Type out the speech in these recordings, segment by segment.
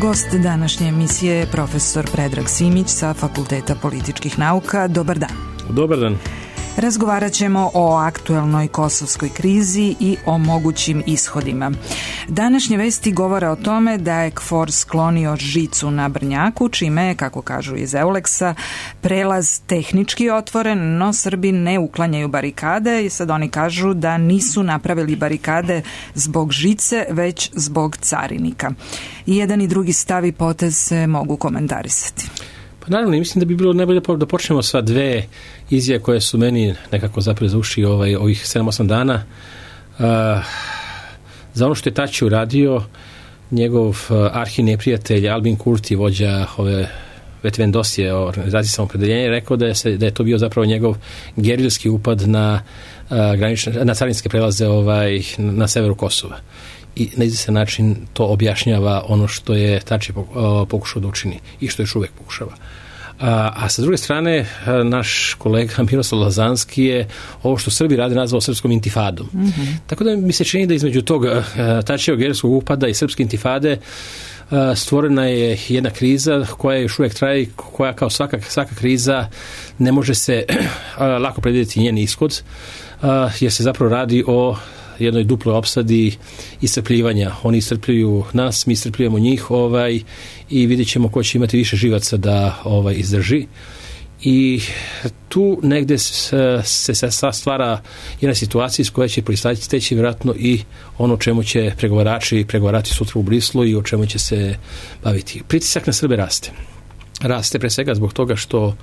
Gost današnje emisije je profesor Predrag Simić sa Fakulteta političkih nauka. Dobar dan. Dobar dan. Razgovarat ćemo o aktuelnoj kosovskoj krizi i o mogućim ishodima. Današnje vesti govore o tome da je KFOR sklonio žicu na Brnjaku, čime je, kako kažu iz Euleksa, prelaz tehnički otvoren, no Srbi ne uklanjaju barikade i sad oni kažu da nisu napravili barikade zbog žice, već zbog carinika. I jedan i drugi stav i potez se mogu komentarisati. Naravno, mislim da bi bilo najbolje da počnemo sa dve izjave koje su meni nekako zapele za uši ovih 7-8 dana. Za ono što je Tači uradio, njegov arhineprijatelj Albin Kurti, vođa ove Vetvendosije, organizacije samoopredeljenja, rekao da je to bio zapravo njegov gerilski upad na carinske prelaze na severu Kosova. I na izvestan način to objašnjava ono što je Tači pokušao da učini i što još uvek pokušava. A sa druge strane, naš kolega Miroslav Lazanski je ovo što Srbi rade nazvao srpskom intifadom. Mm-hmm. Tako da mi se čini da između tog Tačijevog gerilskog upada i srpske intifade stvorena je jedna kriza koja još uvijek traje, koja kao svaka kriza ne može se lako predvidjeti njen ishod, jer se zapravo radi o jednoj duploj opsadi iscrpljivanja. Oni iscrpljuju nas, mi iscrpljujemo njih i vidjet ćemo ko će imati više živaca da izdrži. I tu negde se stvara jedna situacija iz koje će proisteći vjerojatno i ono čemu će pregovarati sutra u Brislu i o čemu će se baviti. Pritisak na Srbe raste. Raste pre svega zbog toga što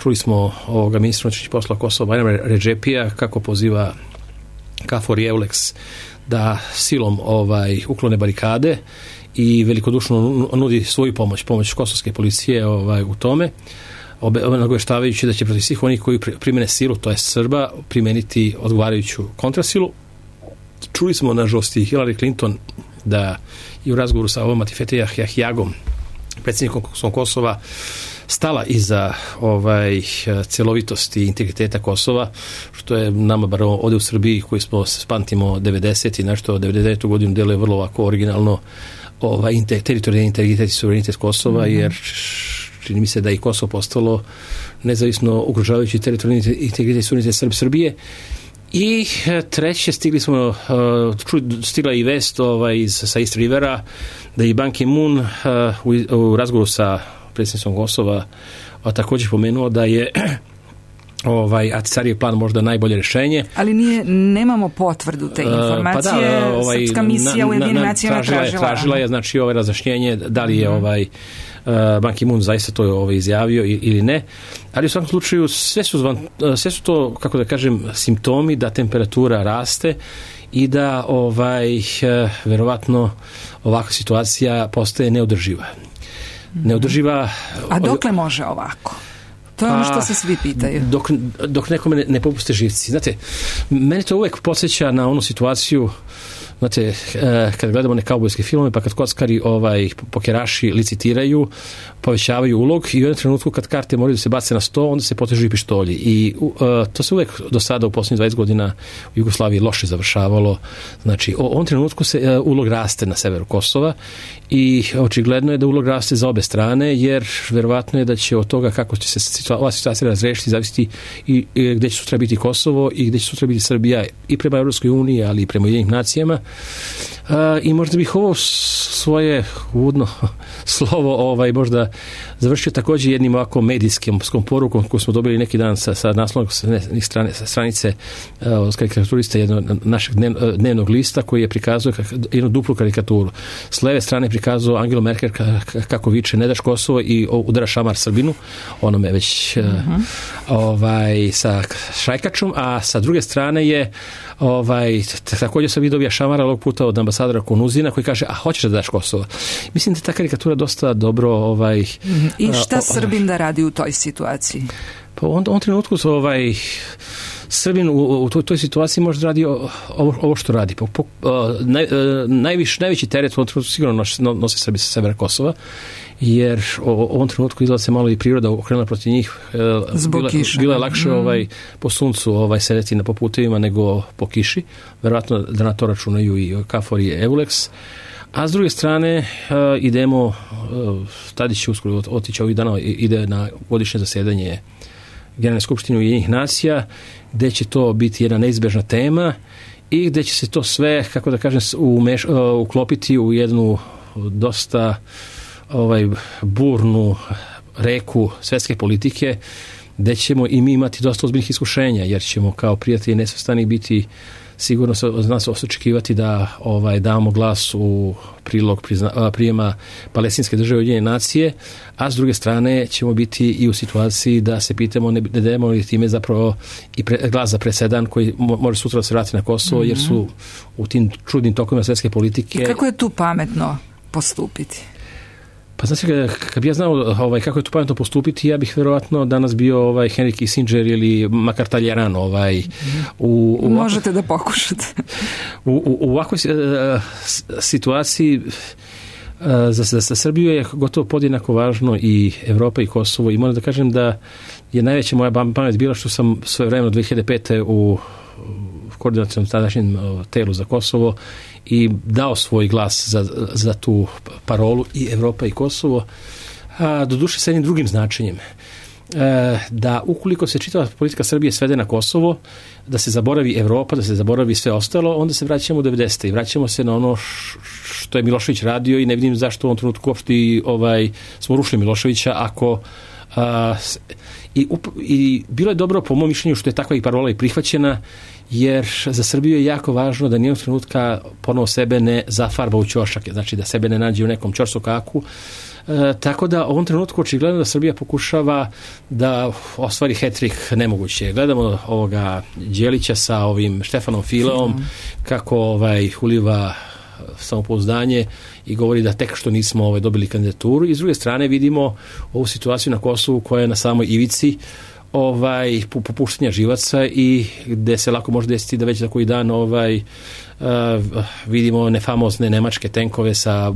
čuli smo ovoga ministra unutrašnjih poslova Kosova Bajrama Redžepija kako poziva KFOR i Euleks da silom uklone barikade i velikodušno nudi svoju pomoć kosovske policije u tome, nagoveštavajući da će protiv svih onih koji primene silu, to je Srba, primeniti odgovarajuću kontrasilu. Čuli smo nažalost i Hillary Clinton da i u razgovoru sa ovom Atifete Jahjagom, predsjednikom Kosova, stala iza celovitosti i integriteta Kosova, što je nama bar ovdje u Srbiji, koji smo pamtimo 90 i nešto 99. godinu deluje vrlo ovako originalno teritorijalni integritet i suverenitet Kosova, jer čini mi se da i Kosovo postalo nezavisno ugrožavajući teritorijalni integritet i suverenitet Srbije. I treće, stigla i vest sa East Rivera da je Ban Ki-moon u razgovoru sa predsjednicom Kosova također pomenuo da je Ahtisarijev plan možda najbolje rješenje. Ali nemamo potvrdu te informacije. Srpska misija u Ujedinjenim nacijama tražila je razjašnjenje da li je Ban Ki-moon zaista to izjavio ili ne. Ali u svakom slučaju sve su to, kako da kažem, simptomi da temperatura raste i da verovatno ovakva situacija postaje neodrživa. A dokle može ovako? To je ono što se svi pitaju. Dok nekome ne popuste živci. Znate, mene to uvek podsjeća na onu situaciju, znate, kad gledamo neke kaubojske filmove, pa kad kockari pokeraši licitiraju, povećavaju ulog i u jednom trenutku kad karte moraju da se bace na sto, onda se potežu i pištolji. I to se uvek do sada u posljednjih 20 godina u Jugoslaviji loše završavalo. Znači, u ovom trenutku se ulog raste na severu Kosova i očigledno je da ulog raste za obe strane, jer verovatno je da će od toga kako će se ova situacija razrešiti zavisiti i gde će sutra biti Kosovo i gde će sutra biti Srbija i prema Evropskoj uniji, ali i prema Ujedinjenim nacijama. I možda bih ovo svoje uvodno slovo možda završio također jednim ovako medijskim porukom koju smo dobili neki dan sa naslovnog stranice karikaturista jednog našeg dnevnog lista koji je prikazao jednu duplu karikaturu. S leve strane prikazao Angelu Merkel kako viče ne daš Kosovo i udara šamar Srbinu, onome već sa šajkačom, a sa druge strane je također sam vidio šamara ovog puta od ambasadora Konuzina koji kaže, a hoćeš da daš Kosovo. Mislim da ta karikatura dosta dobro I šta Srbin da radi u toj situaciji? Pa u ovom trenutku Srbin u toj situaciji može radi ovo što radi. Najveći teret u ovom trenutku sigurno nose Srbi sa severa Kosova, jer u ovom trenutku izgleda se malo i priroda okrenula protiv njih. Bilo je lakše po suncu sedeti na putevima nego po kiši. Verovatno da na to računaju i KFOR i Euleks. A s druge strane idemo, Tadić će uskoro otići ovih dana, ide na godišnje zasedanje Generalne skupštine Ujedinjenih nacija, gde će to biti jedna neizbežna tema i gde će se to sve, kako da kažem, uklopiti u jednu dosta burnu reku svetske politike, gde ćemo i mi imati dosta ozbiljnih iskušenja, jer ćemo kao prijatelji nesvrstanih biti sigurno od nas očekivati da damo glas u prilog prijema Palestinske države Ujedinjene nacije, a s druge strane ćemo biti i u situaciji da se pitamo ne dajemo li time zapravo i glas za presedan koji može sutra da se vrati na Kosovo, jer su u tim čudnim tokovima svetske politike. I kako je tu pametno postupiti? Pa znači, kad bi ja znao kako je tu pametno postupiti, ja bih verovatno danas bio Henry Kissinger ili makar Talleyrand. Možete da pokušate. U ovakvoj situaciji za Srbiju je gotovo podjednako važno i Evropa i Kosovo, i moram da kažem da je najveća moja pamet bila što sam svoje vremeno 2005. u koordinacionom tadašnjem telu za Kosovo i dao svoj glas za tu parolu i Evropa i Kosovo, doduše sa jednim drugim značenjem. Da ukoliko se čitava politika Srbije svede na Kosovo, da se zaboravi Evropa, da se zaboravi sve ostalo, onda se vraćamo u 90. i vraćamo se na ono što je Milošević radio i ne vidim zašto u ovom trenutku uopšte smo rušili Miloševića ako i bilo je dobro po mom mišljenju što je takva i parola i prihvaćena, jer za Srbiju je jako važno da nijednog trenutka ponovo sebe ne zafarba u ćošak, znači da sebe ne nađe u nekom ćorsokaku. Tako da u ovom trenutku očigledno da Srbija pokušava da ostvari hat-trick nemoguće. Gledamo ovoga Đelića sa ovim Štefanom Fileom kako uliva samopouzdanje i govori da tek što nismo dobili kandidaturu, i s druge strane vidimo ovu situaciju na Kosovu koja je na samoj ivici popuštanja živaca i gde se lako može desiti da već za koji dan vidimo nefamozne nemačke tenkove sa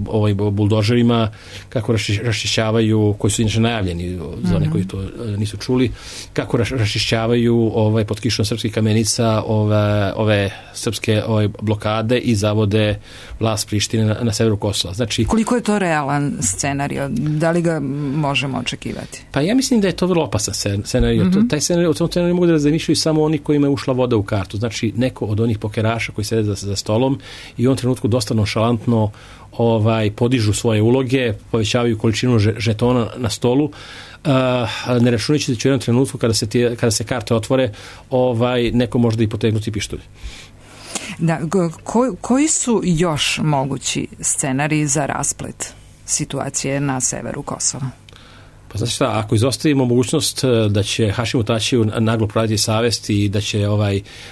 buldožerima kako raščišćavaju, koji su inače najavljeni za one koji to nisu čuli, kako raščišćavaju pod kišom srpskih kamenica ove srpske blokade i zavode vlast Prištine na severu Kosova. Znači, koliko je to realan scenario? Da li ga možemo očekivati? Pa ja mislim da je to vrlo opasan scenario. Taj scenario, o tom scenariju mogu da zamišljaju samo oni kojima je ušla voda u kartu. Znači, neko od onih pokeraša koji sede za stolom i u ovom trenutku dosta nonšalantno podižu svoje uloge, povećavaju količinu žetona na stolu, ne računajući da će u jednom trenutku kada se karte otvore neko možda i potegnuti pištolj. Da, koji su još mogući scenariji za rasplet situacije na severu Kosova? Pa znači šta, ako izostavimo mogućnost da će Hašimu Tačiju naglo proraditi savest i da će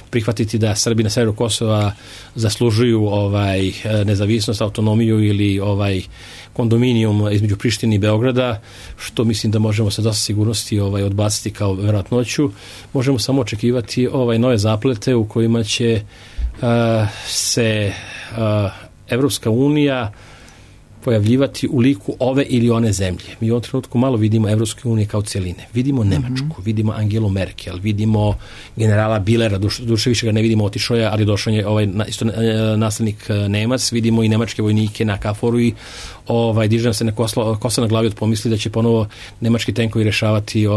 prihvatiti da Srbi na severu Kosova zaslužuju nezavisnost, autonomiju ili kondominijum između Prištine i Beograda, što mislim da možemo sa dosta sigurnosti odbaciti kao verovatnoću, možemo samo očekivati nove zaplete u kojima će se Evropska unija pojavljivati u liku ove ili one zemlje. Mi u ovom trenutku malo vidimo Evropske unije kao cijeline. Vidimo Nemačku, vidimo Angelu Merkel, vidimo generala Billera, duše više ga ne vidimo, otišao je, ali došao je isto naslednik Nemac, vidimo i nemačke vojnike na KFOR-u i diže nam se na kosa na glavi od pomisli da će ponovo nemački tenkovi rešavati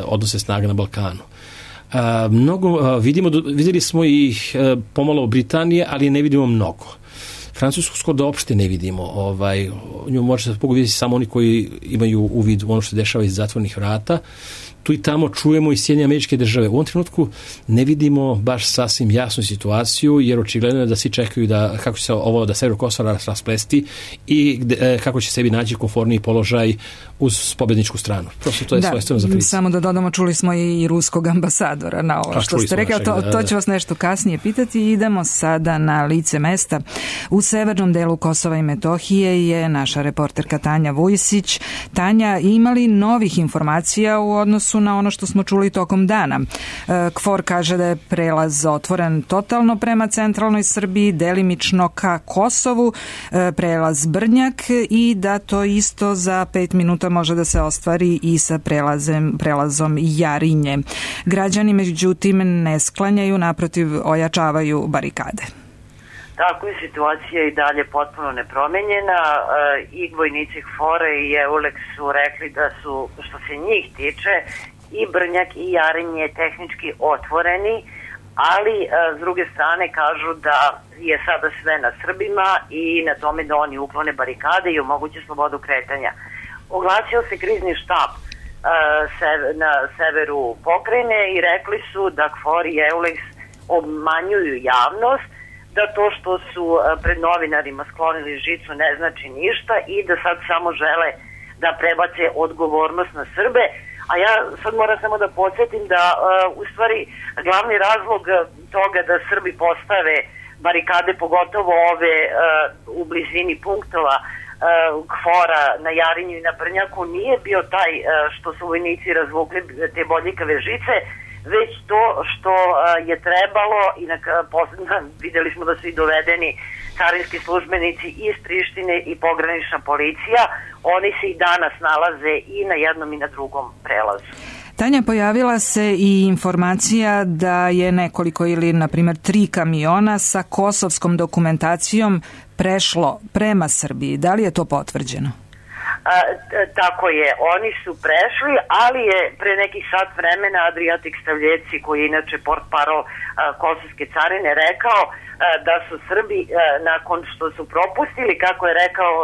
odnose snaga na Balkanu. Vidjeli smo i pomalo Britanije, ali ne vidimo mnogo. Francusku skoro da uopšte ne vidimo. Nju može se pogoditi samo oni koji imaju uvid u ono što se dešava iz zatvornih vrata. Tu i tamo čujemo i Sjedinjene Američke Države. U ovom trenutku ne vidimo baš sasvim jasnu situaciju, jer očigledno je da svi čekaju kako će se ovo da sever Kosova rasplesti i kako će sebi naći konforniji položaj uz pobedničku stranu. Prosto to je svojstveno za priču. Samo da dodamo, čuli smo i ruskog ambasadora na ovo što ste rekli, to će vas nešto kasnije pitati. Idemo sada na lice mesta. U severnom delu Kosova i Metohije je naša reporterka Tanja Vujsić. Tanja, ima li novih informacija u odnosu na ono što smo čuli tokom dana? KFOR kaže da je prelaz otvoren totalno prema centralnoj Srbiji, delimično ka Kosovu, prelaz Brnjak, i da to isto za 5 minuta može da se ostvari i sa prelazom Jarinje. Građani međutim ne sklanjaju, naprotiv ojačavaju barikade. Tako je situacija i dalje potpuno nepromenjena. I vojnici KFOR-a i EULEX su rekli da su, što se njih tiče, i Brnjak i Jarinje tehnički otvoreni, ali s druge strane kažu da je sada sve na Srbima i na tome da oni uklone barikade i omoguće slobodu kretanja. Oglasio se krizni štab na severu pokrajine i rekli su da KFOR i EULEX obmanjuju javnost, da to što su pred novinarima sklonili žicu ne znači ništa i da sad samo žele da prebace odgovornost na Srbe. A ja sad moram samo da podsjetim da u stvari glavni razlog toga da Srbi postave barikade, pogotovo ove u blizini punktova KFOR-a na Jarinju i na Brnjaku, nije bio taj što su vojnici razvukli te bodljikave žice, već to što je trebalo i videli smo da su i dovedeni carinski službenici iz Prištine i pogranična policija. Oni se i danas nalaze i na jednom i na drugom prelazu. Tanja, pojavila se i informacija da je nekoliko ili, na primjer, 3 kamiona sa kosovskom dokumentacijom prešlo prema Srbiji. Da li je to potvrđeno? Tako je, oni su prešli, ali je pre nekih sat vremena Adriatic Stavljeci, koji je inače portparol kosovske carine, rekao da su Srbi, nakon što su propustili, kako je rekao,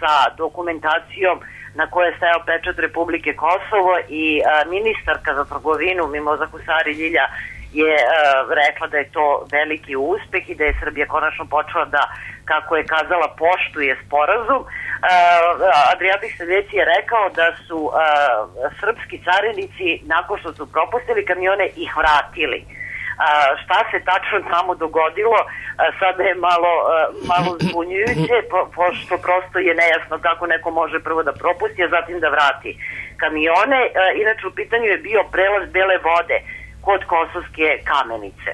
sa dokumentacijom na kojoj je stajao pečat Republike Kosovo, i ministarka za trgovinu Mimoza Husari Ljilja je rekla da je to veliki uspeh i da je Srbija konačno počela da, kako je kazala, poštuje sporazum. Adriatic Stavljeci je rekao da su srpski carinici, nakon što su propustili kamione, ih vratili. Šta se tačno tamo dogodilo, sada je malo zbunjujuće, pošto prosto je nejasno kako neko može prvo da propusti, a zatim da vrati kamione. Inače, u pitanju je bio prelaz Bele vode kod Kosovske Kamenice.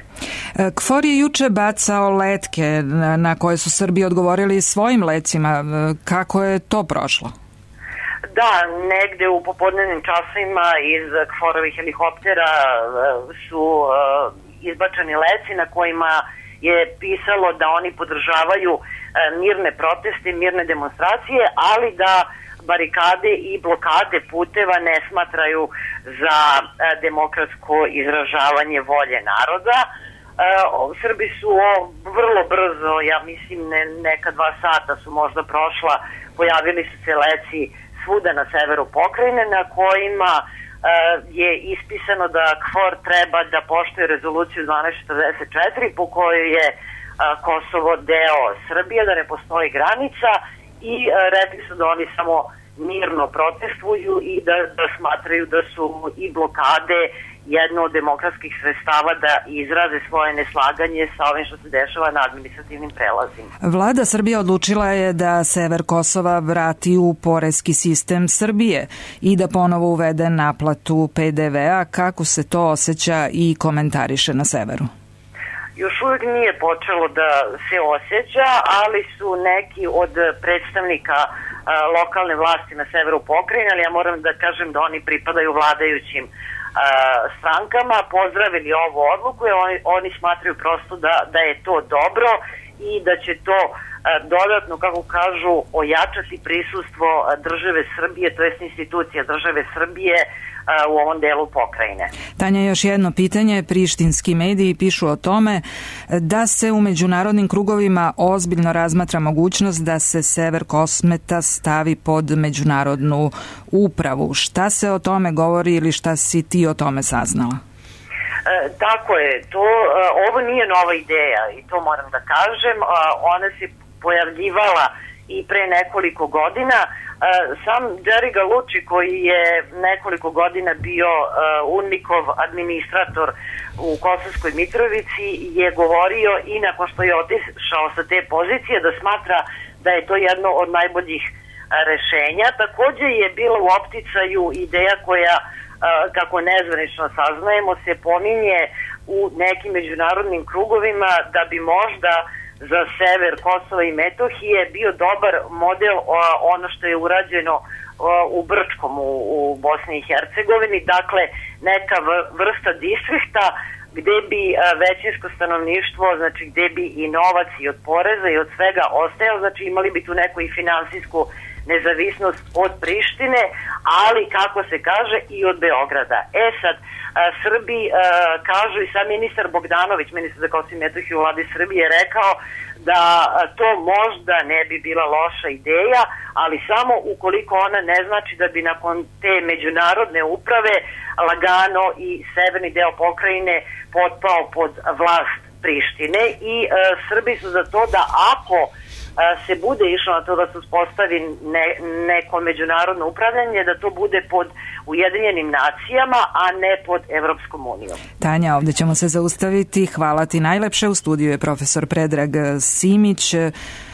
KFOR je juče bacao letke na koje su Srbi odgovorili svojim lecima. Kako je to prošlo? Da, negde u popodnevnim časovima iz KFOR-ovih helikoptera su izbačeni leci na kojima je pisalo da oni podržavaju mirne proteste, mirne demonstracije, ali da barikade i blokade puteva ne smatraju za demokratsko izražavanje volje naroda. Srbi su vrlo brzo, ja mislim neka 2 sata su možda prošla, pojavili su se leci svuda na severu pokrajine na kojima je ispisano da KFOR treba da poštuje rezoluciju 1244 po kojoj je Kosovo deo Srbije, da ne postoji granica, i rekli su da oni samo mirno protestuju i da smatraju da su i blokade jedno od demokratskih sredstava da izraze svoje neslaganje sa ovim što se dešava na administrativnim prelazima. Vlada Srbije odlučila je da sever Kosova vrati u poreski sistem Srbije i da ponovo uvede naplatu PDV-a. Kako se to osjeća i komentariše na severu? Još uvijek nije počelo da se osjeća, ali su neki od predstavnika lokalne vlasti na severu pokrajine, ali ja moram da kažem da oni pripadaju vladajućim strankama, pozdravili ovu odluku i oni smatraju prosto da je to dobro i da će to dodatno, kako kažu, ojačati prisustvo države Srbije, to jest institucija države Srbije u ovom delu pokrajine. Tanja, još jedno pitanje. Prištinski mediji pišu o tome da se u međunarodnim krugovima ozbiljno razmatra mogućnost da se sever Kosmeta stavi pod međunarodnu upravu. Šta se o tome govori ili šta si ti o tome saznala? Tako je, ovo nije nova ideja i to moram da kažem. Ona se pojavljivala i pre nekoliko godina. Sam Jerry Galucci, koji je nekoliko godina bio UNMIK-ov administrator u Kosovskoj Mitrovici, je govorio i nakon što je otišao sa te pozicije da smatra da je to jedno od najboljih rešenja. Takođe je bila u opticaju ideja koja, kako nezvanično saznajemo, se pominje u nekim međunarodnim krugovima da bi možda za sever Kosova i Metohije bio dobar model ono što je urađeno u Brčkom u Bosni i Hercegovini, dakle neka vrsta distrikta gde bi većinsko stanovništvo, znači gde bi i novac i od poreza i od svega ostajao, znači imali bi tu neku i finansijsku nezavisnost od Prištine, ali kako se kaže i od Beograda. Sad, Srbi kažu i sam ministar Bogdanović, ministar za Kosovo i Metohiju u vladi Srbije, rekao da to možda ne bi bila loša ideja, ali samo ukoliko ona ne znači da bi nakon te međunarodne uprave lagano i severni deo pokrajine potpao pod vlast Prištine i Srbi su za to da ako se bude išlo na to da se uspostavi neko međunarodno upravljanje, da to bude pod Ujedinjenim nacijama, a ne pod Evropskom unijom. Tanja, ovde ćemo se zaustaviti. Hvala ti najlepše. U studiju je profesor Predrag Simić.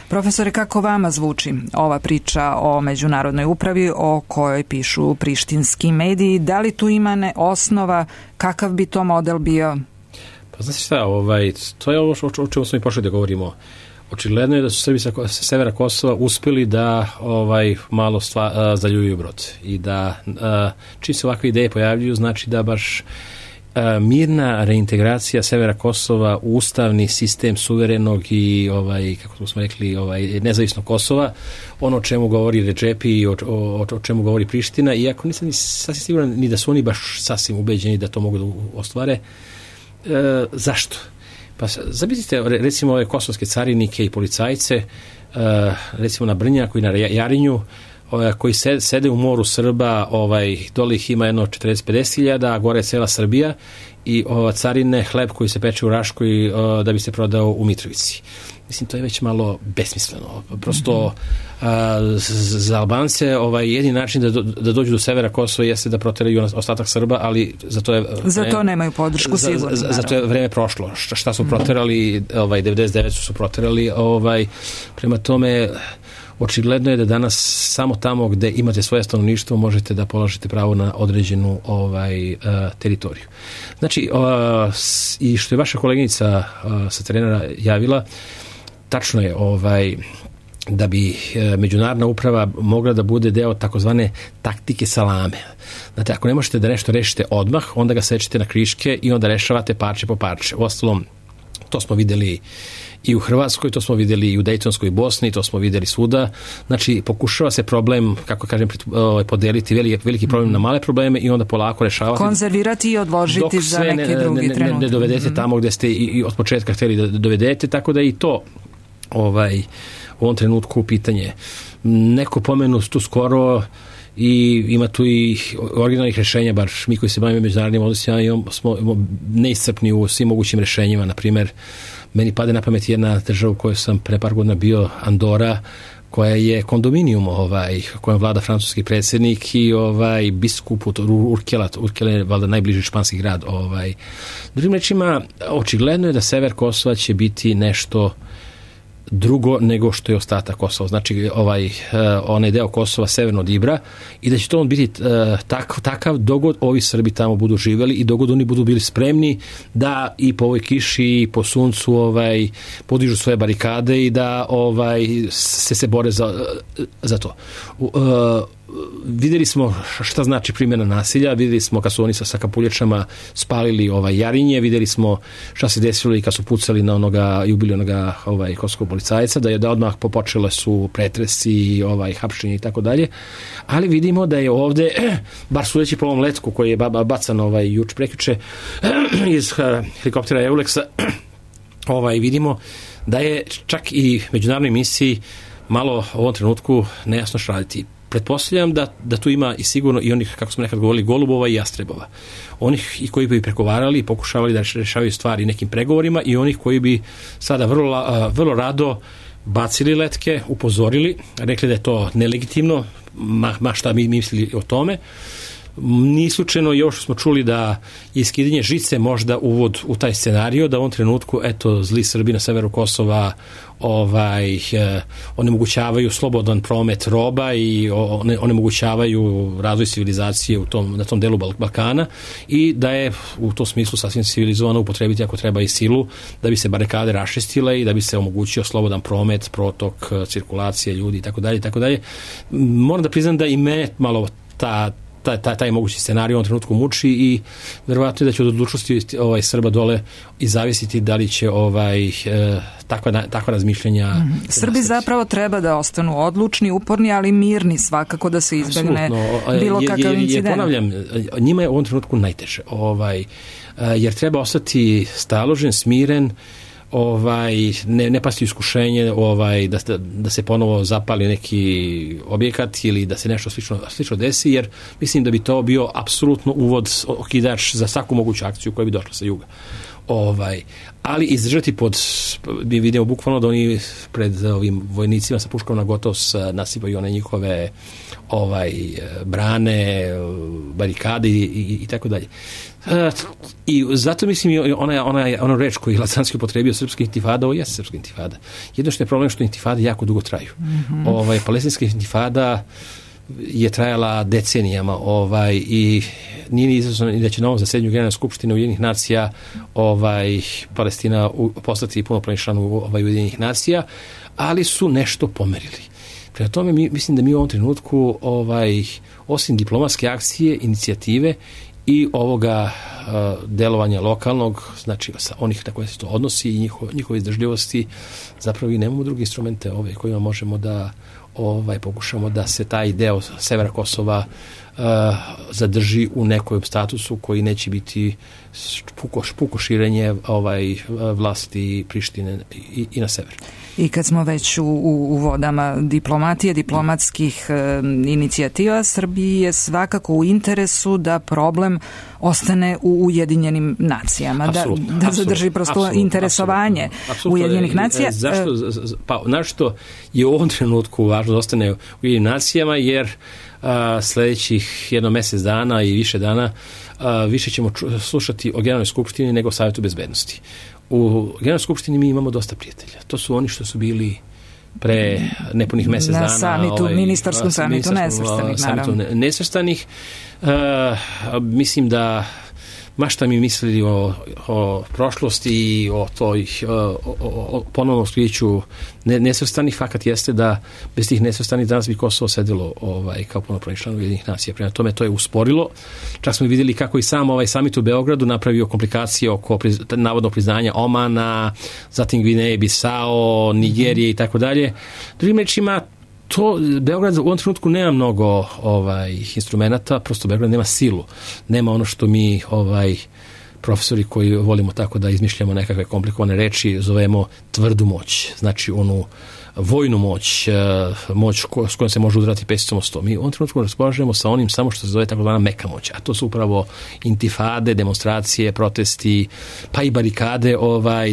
Profesore, kako vama zvuči ova priča o međunarodnoj upravi o kojoj pišu prištinski mediji? Da li tu ima osnova? Kakav bi to model bio? Pa znači šta, to je ovo o čemu smo i pošli da govorimo. Očigledno je da su Srbi sa severa Kosova uspeli da malo zaljuju brod i da čim se ovakve ideje pojavljuju, znači da baš mirna reintegracija severa Kosova u ustavni sistem suverenog i kako smo rekli nezavisnog Kosova, ono o čemu govori Redžepi i o čemu govori Priština, iako nisam ni sasvim siguran ni da su oni baš sasvim ubeđeni da to mogu da ostvare. Zašto? Pa zamislite recimo ove kosovske carinike i policajce, recimo na Brnjaku i na Jarinju, koji sede u moru Srba, dole ih ima jedno 40-50 hiljada, a gore je cela Srbija i carine hleb koji se peče u Raškoj da bi se prodao u Mitrovici. Mislim, to je već malo besmisleno. Prosto za Albance jedini način da dođu do severa Kosova jeste da proteraju ostatak Srba, ali za to nemaju podršku sigurno. Za to je vreme prošlo. Šta su proterali, 99 su proterali, prema tome očigledno je da danas samo tamo gde imate svoje stanovništvo možete da položite pravo na određenu teritoriju. Znači, i što je vaša koleginica sa terena javila, tačno je da bi međunarodna uprava mogla da bude deo takozvane taktike salame. Znate, ako ne možete da nešto rešite odmah, onda ga sečete na kriške i onda rešavate parče po parče. Uostalom, to smo videli i u Hrvatskoj, to smo videli i u Dejtonskoj Bosni, to smo videli svuda. Znači, pokušava se problem, kako kažem, podeliti veliki problem na male probleme i onda polako rešavati. Konzervirati i odložiti za neki drugi trenutak. Ne dovedete tamo gde ste i od početka hteli da dovedete, tako da i to u ovom trenutku pitanje. Neko pomenu tu skoro i ima tu i originalnih rešenja, bar mi koji se bavimo međunarodnim odnosima smo neiscrpni u svim mogućim rešenjima. Na primjer, meni pade na pamet jedna država u kojoj sam pre par godina bio, Andora, koja je kondominijum kojem vlada francuski predsjednik i biskup Urkela je valjda najbliži španski grad. Drugim rečima, očigledno je da sever Kosova će biti nešto drugo nego što je ostatak Kosova. Znači, onaj deo Kosova severno od Ibra i da će to on biti takav dogod ovi Srbi tamo budu živjeli i dogod oni budu bili spremni da i po ovoj kiši i po suncu podižu svoje barikade i da se bore za to. Vidjeli smo šta znači primjena nasilja, vidjeli smo kad su oni sa kapuljačama spalili Jarinje, vidjeli smo šta se desilo i kad su pucali na onoga i ubili onoga kosovskog policajca, da odmah počele su pretresi, hapšenje i tako dalje, ali vidimo da je ovde, bar sudeći po ovom letku koji je bacan juče prekjuče iz helikoptera Euleksa, vidimo da je čak i međunarodnoj misiji malo u ovom trenutku nejasno što raditi. Pretpostavljam da tu ima i sigurno i onih, kako smo nekad govorili, golubova i jastrebova. Onih i koji bi pregovarali i pokušavali da rešavaju stvari nekim pregovorima i onih koji bi sada vrlo rado bacili letke, upozorili, rekli da je to nelegitimno, ma šta mi mislili o tome. Nije slučajno i ovo što smo čuli da je skidanje žice možda uvod u taj scenario, da u ovom trenutku, zli Srbi na severu Kosova onemogućavaju slobodan promet roba i onemogućavaju razvoj civilizacije na tom delu Balkana i da je u tom smislu sasvim civilizovano upotrebiti ako treba i silu da bi se barikade raščistile i da bi se omogućio slobodan promet, protok, cirkulacije ljudi itd. Moram da priznam da i mene malo taj mogući scenarij u ovom trenutku muči i verovatno je da će od odlučnosti Srba dole i zavisiti da li će takva razmišljenja. Srbi zapravo treba da ostanu odlučni, uporni, ali mirni svakako, da se izbegne bilo kakav incident. Ponavljam, njima je u ovom trenutku najteže, jer treba ostati staložen, smiren, ne pasti u iskušenje da se ponovo zapali neki objekat ili da se nešto slično desi, jer mislim da bi to bio apsolutno uvod, okidač za svaku moguću akciju koja bi došla sa juga. Ali izdržati mi vidimo bukvalno da oni pred ovim vojnicima sa puškom na gotovo nasipaju one njihove brane, barikade i tako dalje. I zato mislim ona reč koju je Lacanski upotrebio, srpska intifada, ovo jeste srpska intifada. Jedno što je problem što intifade jako dugo traju. Palestinska intifada je trajala decenijama i nije ni izazvano da će na ovom zasedanju Generalne skupštine Ujedinjenih nacija Palestina postati punopravni član Ujedinjenih nacija, ali su nešto pomerili. Prema tome mislim da mi u ovom trenutku osim diplomatske akcije, inicijative i ovoga delovanja lokalnog, znači onih na koje se to odnosi i njihove izdržljivosti, zapravo i nemamo druge instrumente kojima možemo da pokušamo da se taj deo severa Kosova zadrži u nekom statusu koji neće biti puko širenje vlasti Prištine i na sever. I kad smo već u vodama diplomatije, diplomatskih inicijativa, Srbiji je svakako u interesu da problem ostane u Ujedinjenim nacijama, da zadrži prosto interesovanje Ujedinjenih nacija. Zašto? Pa, našto je u ovom trenutku važno da ostane u Ujedinjenim nacijama, jer sljedećih jedno mjesec dana i više dana više ćemo slušati o Generalnoj skupštini nego o Savjetu bezbednosti. U Generalnoj skupštini mi imamo dosta prijatelja. To su oni što su bili pre nepunih mjesec dana na samitu, ministarskom samitu nesvrstanih. Mislim da mašta mi mislili o prošlosti i o ponovnom skriću nesvrstanih. Fakat jeste da bez tih nesvrstanih danas bi Kosovo sedelo kao punopravni član Ujedinjenih nacija. Prema tome to je usporilo. Čak smo vidjeli kako i sam samit u Beogradu napravio komplikacije oko navodnog priznanja Omana, zatim Gvineje, Bisao, Nigerije i tako dalje. Drugim rečima, Beograd u ovom trenutku nema mnogo instrumenta, prosto Beograd nema silu, nema ono što mi profesori koji volimo tako da izmišljamo nekakve komplikovane reči zovemo tvrdu moć, znači onu vojnu moć s kojom se može udarati pesicom o sto. Mi u ovom trenutku raspolažemo sa onim samo što se zove takozvana meka moć, a to su upravo intifade, demonstracije, protesti, pa i barikade,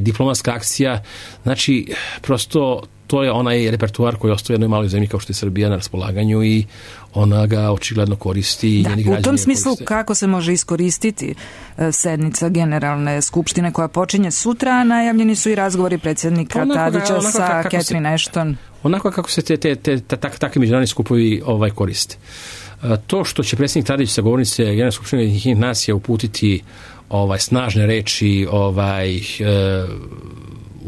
diplomatska akcija, znači prosto to je onaj repertuar koji ostaje u jednoj maloj zemlji kao što je Srbija na raspolaganju i ona ga očigledno koristi. U tom smislu kako se može iskoristiti sednica Generalne skupštine koja počinje sutra, a najavljeni su i razgovori predsjednika Tadića sa Catherine Ashton. Onako kako se takvi međunarodni skupovi koriste. To što će predsjednik Tadić sa govornice Generalne skupštine Ujedinjenih nacija uputiti snažne reči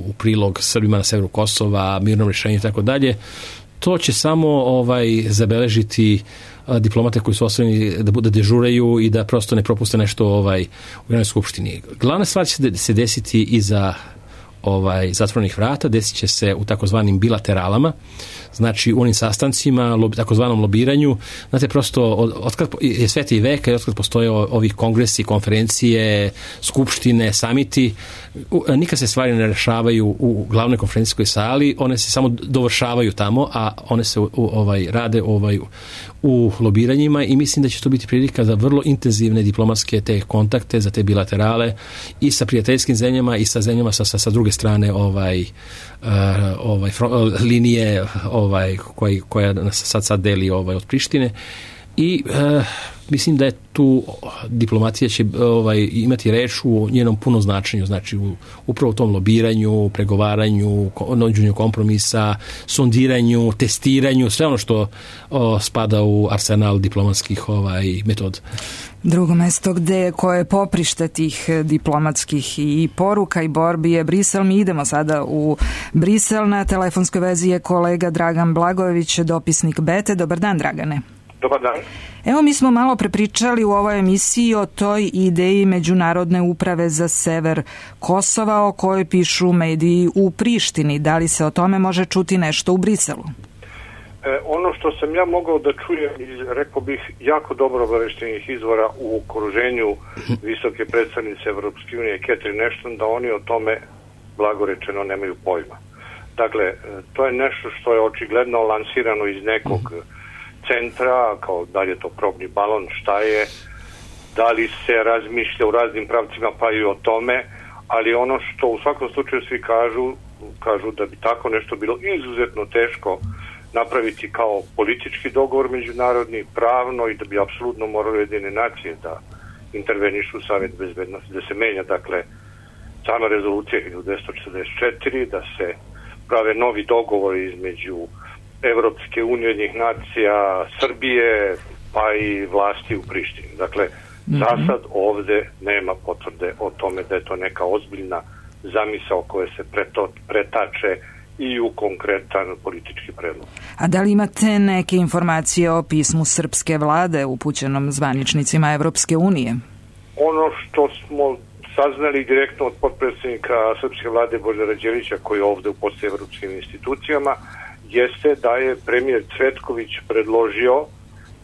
u prilog Srbima na severu Kosova, mirnom rješenju i tako dalje, to će samo zabeležiti diplomate koji su ostavljeni da dežuraju i da prosto ne propuste nešto u Generalnoj skupštini. Glavna stvar će se desiti iza zatvorenih vrata, desit će se u takozvanim bilateralama, znači u onim sastancima, takozvanom lobiranju. Znate, prosto otkad je sveti veka i otkad postoje ovi kongresi, konferencije, skupštine, samiti, nikad se stvari ne rešavaju u glavnoj konferencijskoj sali, one se samo dovršavaju tamo, a one se rade u lobiranjima i mislim da će to biti prilika za vrlo intenzivne diplomatske te kontakte, za te bilaterale i sa prijateljskim zemljama i sa zemljama sa druge strane linije koja nas sad deli od Prištine i mislim da je tu diplomacija će imati reč u njenom punom značenju, znači upravo u tom lobiranju, pregovaranju, nađenju kompromisa, sondiranju, testiranju, sve ono što spada u arsenal diplomatskih metoda. Drugo mesto koje je poprište tih diplomatskih i poruka i borbi je Brisel. Mi idemo sada u Brisel. Na telefonskoj vezi je kolega Dragan Blagojević, dopisnik Bete. Dobar dan, Dragane. Dobar dan. Evo, mi smo malo prepričali u ovoj emisiji o toj ideji Međunarodne uprave za sever Kosova o kojoj pišu mediji u Prištini. Da li se o tome može čuti nešto u Briselu? Ono što sam ja mogao da čujem iz, rekao bih, jako dobro obaveštenih izvora u okruženju visoke predstavnice Evropske unije Catherine Ashton, da oni o tome blagorečeno nemaju pojma. Dakle, to je nešto što je očigledno lansirano iz nekog centra, kao da li je to probni balon, šta je, da li se razmišlja u raznim pravcima pa i o tome, ali ono što u svakom slučaju svi kažu da bi tako nešto bilo izuzetno teško napraviti kao politički dogovor međunarodni, pravno, i da bi apsolutno morali Ujedinjene nacije da intervenišu u Savet bezbednosti, da se menja, dakle, sama rezolucija 1244, da se prave novi dogovori između Evropske unije, Ujedinjenih nacija, Srbije, pa i vlasti u Prištini. Dakle, za sad ovde nema potvrde o tome da je to neka ozbiljna zamisao koja se pretače i u konkretan politički predlog. A da li imate neke informacije o pismu srpske vlade upućenom zvaničnicima Evropske unije? Ono što smo saznali direktno od potpredsjednika srpske vlade Božidara Đelića, koji je ovde u posle evropskim institucijama, jeste da je premijer Cvetković predložio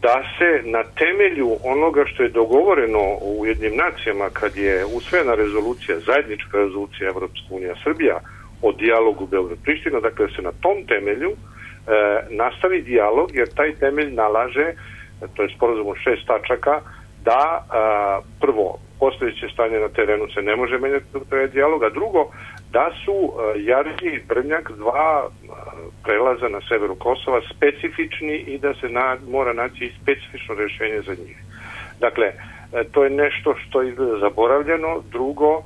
da se na temelju onoga što je dogovoreno u Ujedinjenim nacijama kad je usvojena rezolucija, zajednička rezolucija Evropska unija Srbija o dijalogu Beograd-Priština, dakle da se na tom temelju nastavi dijalog, jer taj temelj nalaže, to je sporazum od 6 tačaka, da prvo, postojeće stanje na terenu se ne može menjati do taj dijalog, a drugo, da su Jarinje i Brnjak, dva prelaza na severu Kosova, specifični i da se mora naći specifično rješenje za njih. Dakle, to je nešto što je zaboravljeno. Drugo,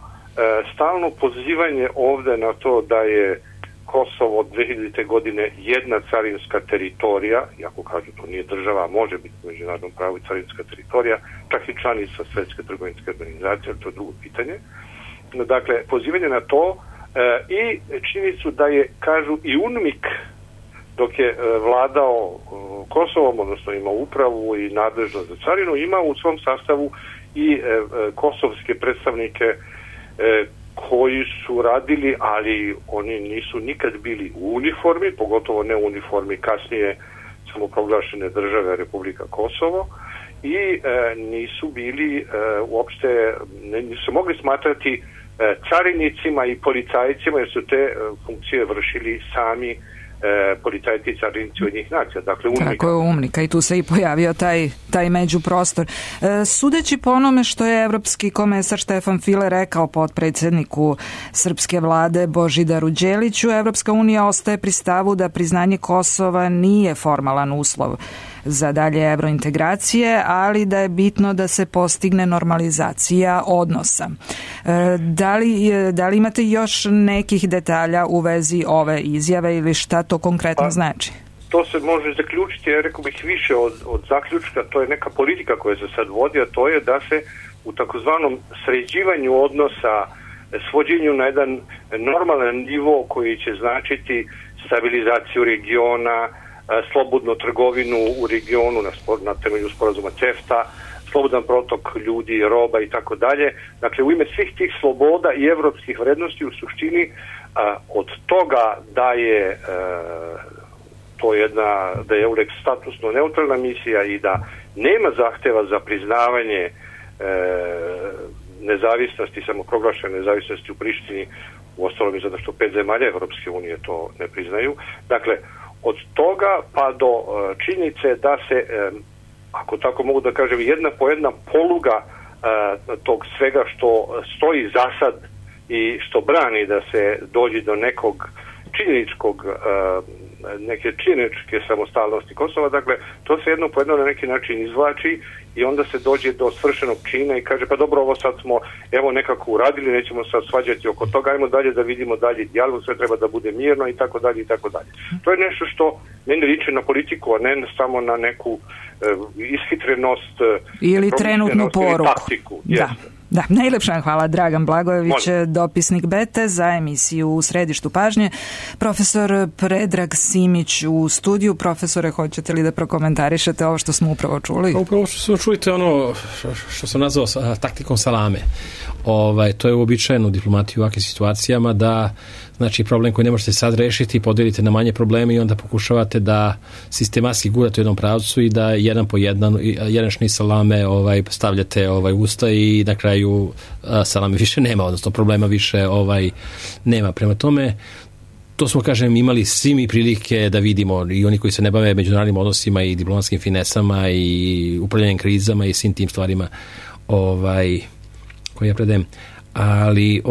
stalno pozivanje ovde na to da je Kosovo od 2000. godine jedna carinska teritorija, iako kažu to nije država, može biti u međunarodnom pravu i carinska teritorija, čak i članica Svetske trgovinske organizacije, to je drugo pitanje. Dakle, pozivanje na to i činjenicu da je, kažu, i UNMIK, dok je vladao Kosovom, odnosno imao upravu i nadležnost za carinu, ima u svom sastavu i kosovske predstavnike koji su radili, ali oni nisu nikad bili u uniformi, pogotovo ne u uniformi kasnije samoproglašene države Republika Kosovo, i nisu bili uopšte, nisu mogli smatrati carinicima i policajcima, jer su te funkcije vršili sami policajci i carinici Ujedinjenih nacija. Dakle, UNMIK. Tako je, UNMIK, i tu se i pojavio taj međuprostor. Sudeći po onome što je evropski komesar Štefan File rekao potpredsjedniku srpske vlade Božidaru Đeliću, Evropska unija ostaje pri stavu da priznanje Kosova nije formalan uslov za dalje evrointegracije, ali da je bitno da se postigne normalizacija odnosa. Da li imate još nekih detalja u vezi ove izjave ili šta to konkretno znači? To se može zaključiti, ja rekao bih više od zaključka, to je neka politika koja se sad vodi, a to je da se u takozvanom sređivanju odnosa, svođenju na jedan normalan nivo koji će značiti stabilizaciju regiona, slobodnu trgovinu u regionu na temelju sporazuma CEFTA, slobodan protok ljudi, roba i tako dalje. Dakle, u ime svih tih sloboda i evropskih vrednosti u suštini od toga da je to da je EULEX statusno neutralna misija i da nema zahteva za priznavanje nezavisnosti, samoproglašene nezavisnosti u Prištini, u ostalom i zato što 5 zemalja Evropske unije to ne priznaju. Dakle, od toga pa do činjenice da se, ako tako mogu da kažem, jedna po jedna poluga tog svega što stoji zasad i što brani da se dođe do nekog neke činjeničke samostalnosti Kosova, dakle, to se jedno po jedno na neki način izvlači i onda se dođe do svršenog čina i kaže, pa dobro, ovo sad smo evo nekako uradili, nećemo sad svađati oko toga, ajmo dalje da vidimo dalje dijalog, sve treba da bude mirno i tako dalje i tako dalje. To je nešto što ne liči na politiku, a ne samo na neku ishitrenost ili trenutnu poruku. Taktiku. Da. Da, najlepša hvala. Dragan Blagojević, dopisnik Bete za emisiju U središtu pažnje. Profesor Predrag Simić u studiju. Profesore, hoćete li da prokomentarišete ovo što smo upravo čuli? Upravo što smo čuli, to je ono što sam nazvao taktikom salame. To je uobičajeno u diplomatiji u ovakvim situacijama, da znači problem koji ne možete sad rešiti podelite na manje probleme i onda pokušavate da sistematski gurate u jednom pravcu i da jedan po jedan šnic salame stavljate usta i na kraju salame više nema, odnosno problema više nema. Prema tome, to smo, kažem, imali svi mi prilike da vidimo, i oni koji se ne bave međunarodnim odnosima i diplomatskim finesama i upravljanjem krizama i svim tim stvarima koje ja predajem. Ali,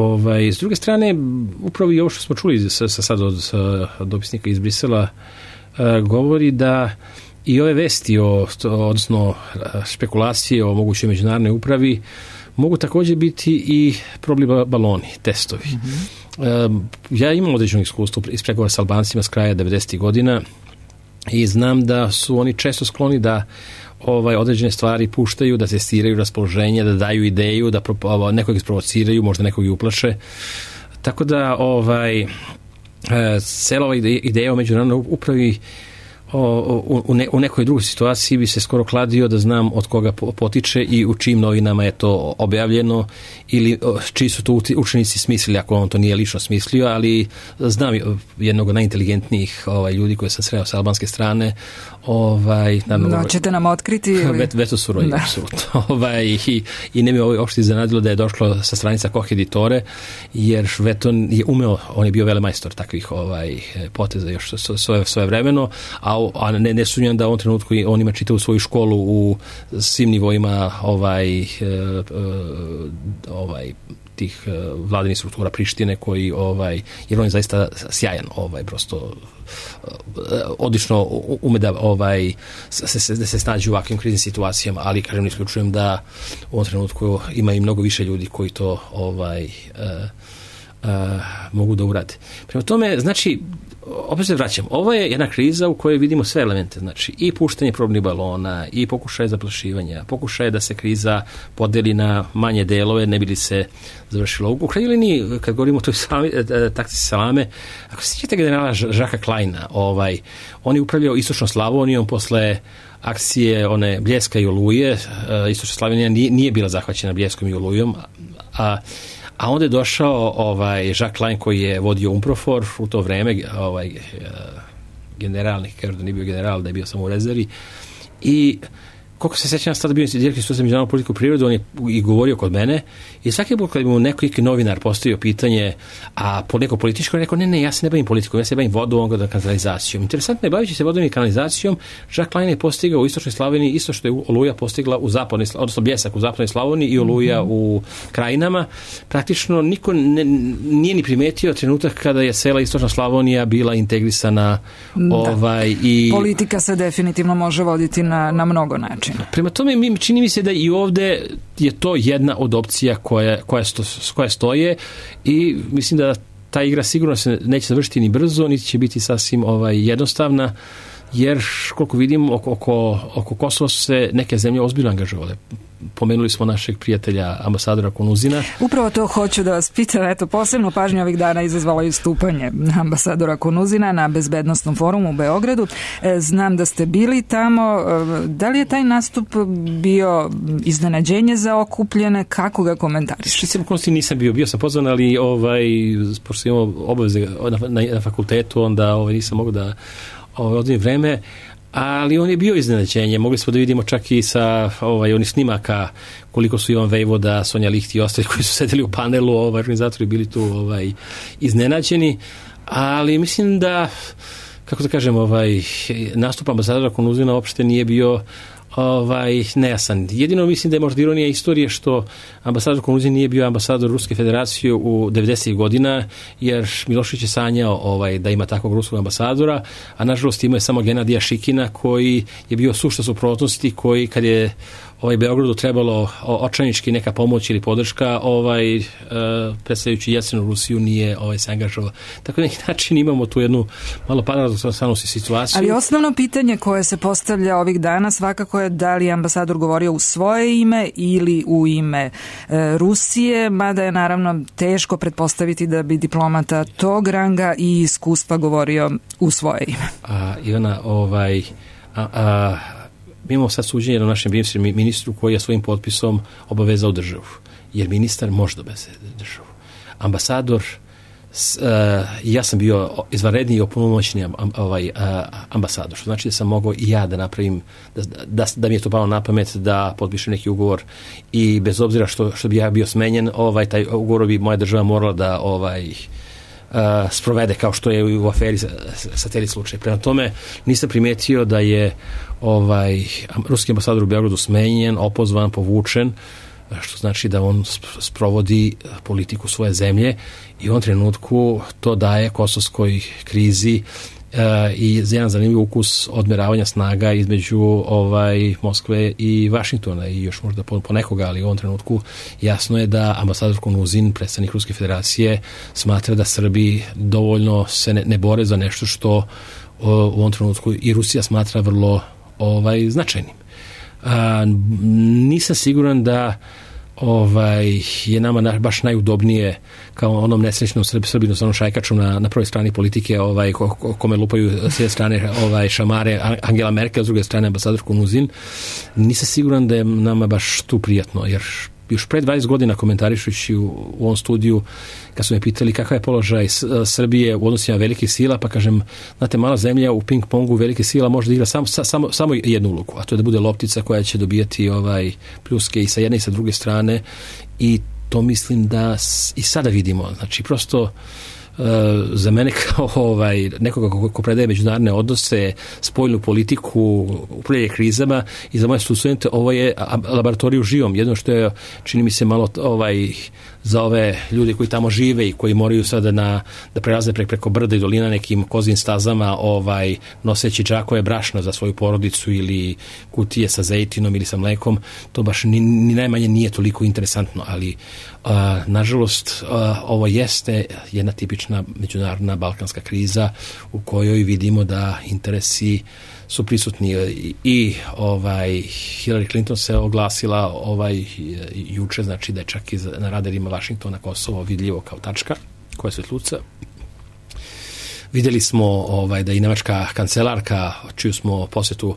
s druge strane, upravo i ovo što smo čuli sad od dopisnika iz Brisela, govori da i ove vesti, odnosno špekulacije o mogućoj međunarodnoj upravi, mogu također biti i probni baloni, testovi. Ja imam određeno iskustvo iz pregovora s Albancima s kraja 90. godina i znam da su oni često skloni da određene stvari puštaju, da testiraju raspoloženje, da daju ideju, da nekog isprovociraju, možda nekog i uplaše. Tako da cela ova ideja o međunarodnoj upravi u nekoj drugoj situaciji bi se skoro kladio da znam od koga potiče i u čijim novinama je to objavljeno ili čiji su to učenici smislili, ako on to nije lično smislio, ali znam jednog od najinteligentnijih ljudi koje sam sreo sa albanske strane. Ćete nam otkriti? Veto Suroji, apsolutno. I ne mi uopšte iznenadilo da je došlo sa stranica Koch editore, jer Veton je umeo, on je bio velemajstor takvih poteza još svoje vremeno, a ne sumnjam da u ovom trenutku on ima čitavu svoju školu u svim nivoima tih vladinih struktura Prištine koji, jer on je zaista sjajan, prosto odlično ume da se snađe u ovakvim kriznim situacijama, ali kažem, ne isključujem da u ovom trenutku ima i mnogo više ljudi koji to mogu da urade. Prema tome, znači, opet se vraćam, ovo je jedna kriza u kojoj vidimo sve elemente, znači i puštanje probnih balona, i pokušaje zaplašivanja, pokušaje da se kriza podeli na manje delove, ne bi li se završilo. U krajnjoj liniji, kad govorimo o toj taktici salame, ako se sjećate generala Žaka Kleina, on je upravljao istočnom Slavonijom posle akcije one Bljeska i Oluje. Istočna Slavonija nije bila zahvaćena Bljeskom i Olujom, a onda je došao Jacques Klein koji je vodio UNPROFOR u to vreme, generalni, kažu da nije bio general, da je bio samo u rezervi, i koliko se sećam, tada bio direktor Instituta za međunarodnu politiku i prirodu, on je i govorio kod mene i svaki put kad mu neki novinar postavio pitanje, a po neko političko, rekao, ne, ja se ne bavim politikom, ja se bavim vodom, kanalizacijom. Interesantno je, bavići se vodom i kanalizacijom, Jacques Klein je postigao u istočnoj Slavoniji isto što je Oluja postigla u zapadnoj, odnosno Bljesak u zapadnoj Slavoniji i Oluja u Krajinama. Praktično niko nije ni primetio trenutak kada je cela istočna Slavonija bila integrisana. I politika se definitivno može voditi na mnogo načina. Prema tome, čini mi se da i ovde je to jedna od opcija koja stoje i mislim da ta igra sigurno se neće završiti ni brzo, niti će biti sasvim jednostavna, jer koliko vidim oko Kosova su se neke zemlje ozbiljno angažovale. Pomenuli smo našeg prijatelja ambasadora Kunuzina. Upravo to hoću da vas pitam, posebno pažnju ovih dana izazvalo i stupanje ambasadora Kunuzina na Bezbednosnom forumu u Beogradu. Znam da ste bili tamo. Da li je taj nastup bio iznenađenje za okupljene? Kako ga komentariš? Nisam bio sam pozvan, ali pošto imamo obaveze na fakultetu, onda nisam mogao da odvijem vreme, ali on je bio iznenađenje. Mogli smo da vidimo čak i sa onih snimaka koliko su Ivan Vejvoda, Sonja Lihti i ostali koji su sedeli u panelu, organizatori bili tu iznenađeni, ali mislim da, kako da kažem, nastup ambasadora Kunuzina uopšte nije bio nejasan. Jedino mislim da je možda ironija istorije što ambasador Kunuzin nije bio ambasador Ruske federacije u 90. godina, jer Milošević je sanjao da ima takvog ruskog ambasadora, a nažalost imao je samo Genadija Šikina koji je bio sušta suprotnosti, koji kad je Beogradu trebalo očajnički neka pomoć ili podrška, predstavljajući Jeljcinovu Rusiju nije se angažovao. Tako na neki način imamo tu jednu malo paradoksalnu situaciju. Ali osnovno pitanje koje se postavlja ovih dana svakako je da li ambasador govorio u svoje ime ili u ime Rusije, mada je naravno teško pretpostaviti da bi diplomata tog ranga i iskustva govorio u svoje ime. Ivana, mi imamo sad suđenje na našem bivšem ministru koji je svojim potpisom obavezao državu. Jer ministar može da obaveze državu. Ambasador, ja sam bio izvanredni i opunomoćeni ambasador, što znači da sam mogao i ja da napravim, da mi je to palo na pamet da potpišem neki ugovor i bez obzira što bi ja bio smenjen, taj ugovor bi moja država morala da sprovede, kao što je u aferi Satelit slučaj. Prema tome nisam primetio da je ruski ambasador u Beogradu smenjen, opozvan, povučen, što znači da on sprovodi politiku svoje zemlje i u ovom trenutku to daje kosovskoj krizi i jedan zanimljiv ukus odmeravanja snaga između Moskve i Vašingtona i još možda ponekoga, ali u ovom trenutku jasno je da ambasador Konuzin, predstavnik Ruske federacije, smatra da Srbi dovoljno se ne bore za nešto što u ovom trenutku i Rusija smatra vrlo značajnim. Nisam siguran da je nama baš najudobnije kao onom nesrećnom Srbinu sa onom šajkačom na prvoj strani politike kome lupaju s jedne strane šamare Angela Merkel, s druge strane ambasador Konuzin. Nisam siguran da je nama baš tu prijatno, jer još pre 20 godina komentarišući u ovom studiju, kad su me pitali kakav je položaj Srbije u odnosima velikih sila, pa kažem, znate, mala zemlja u ping-pongu velike sila može da igra samo jednu ulogu, a to je da bude loptica koja će dobijati pljuske i sa jedne i sa druge strane, i to mislim da i sada vidimo. Znači, prosto za mene kao nekoga ko predaje međunarodne odnose, spoljnu politiku, upravljanje krizama, i za moje studente ovo je laboratorij u živom. Jedno što je, čini mi se, malo za ove ljudi koji tamo žive i koji moraju sada da prelaze preko brda i dolina nekim kozim stazama, noseći džakove brašna za svoju porodicu ili kutije sa zejtinom ili sa mlekom, to baš ni najmanje nije toliko interesantno, ali nažalost ovo jeste jedna tipična međunarodna balkanska kriza u kojoj vidimo da interesi su prisutni i Hillary Clinton se oglasila juče, znači da je čak i na radarima Vašingtona Kosovo vidljivo kao tačka koja se tluca. Vidjeli smo da i nemačka kancelarka, čiju smo posjetu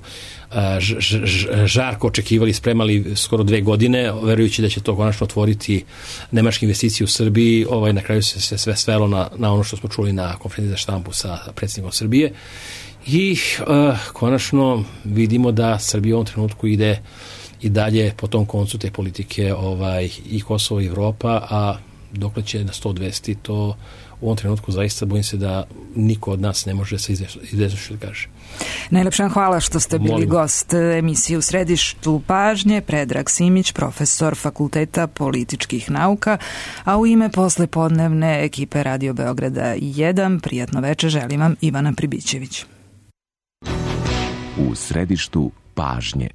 žarko očekivali, spremali skoro 2 godine, verujući da će to konačno otvoriti nemačke investicije u Srbiji. Na kraju se sve svelo na ono što smo čuli na konferenciji za štampu sa predsjednikom Srbije. I konačno vidimo da Srbija u ovom trenutku ide i dalje po tom koncu te politike i Kosovo i Evropa, a dokle će na 100-200, to u ovom trenutku zaista bojim se da niko od nas ne može se izvezući da kaže. Najlepša hvala što ste bili gost emisije U središtu pažnje. Predrag Simić, profesor Fakulteta političkih nauka, a u ime poslepodnevne ekipe Radio Beograda 1, prijatno večer želim vam Ivana Pribićević. U središtu pažnje.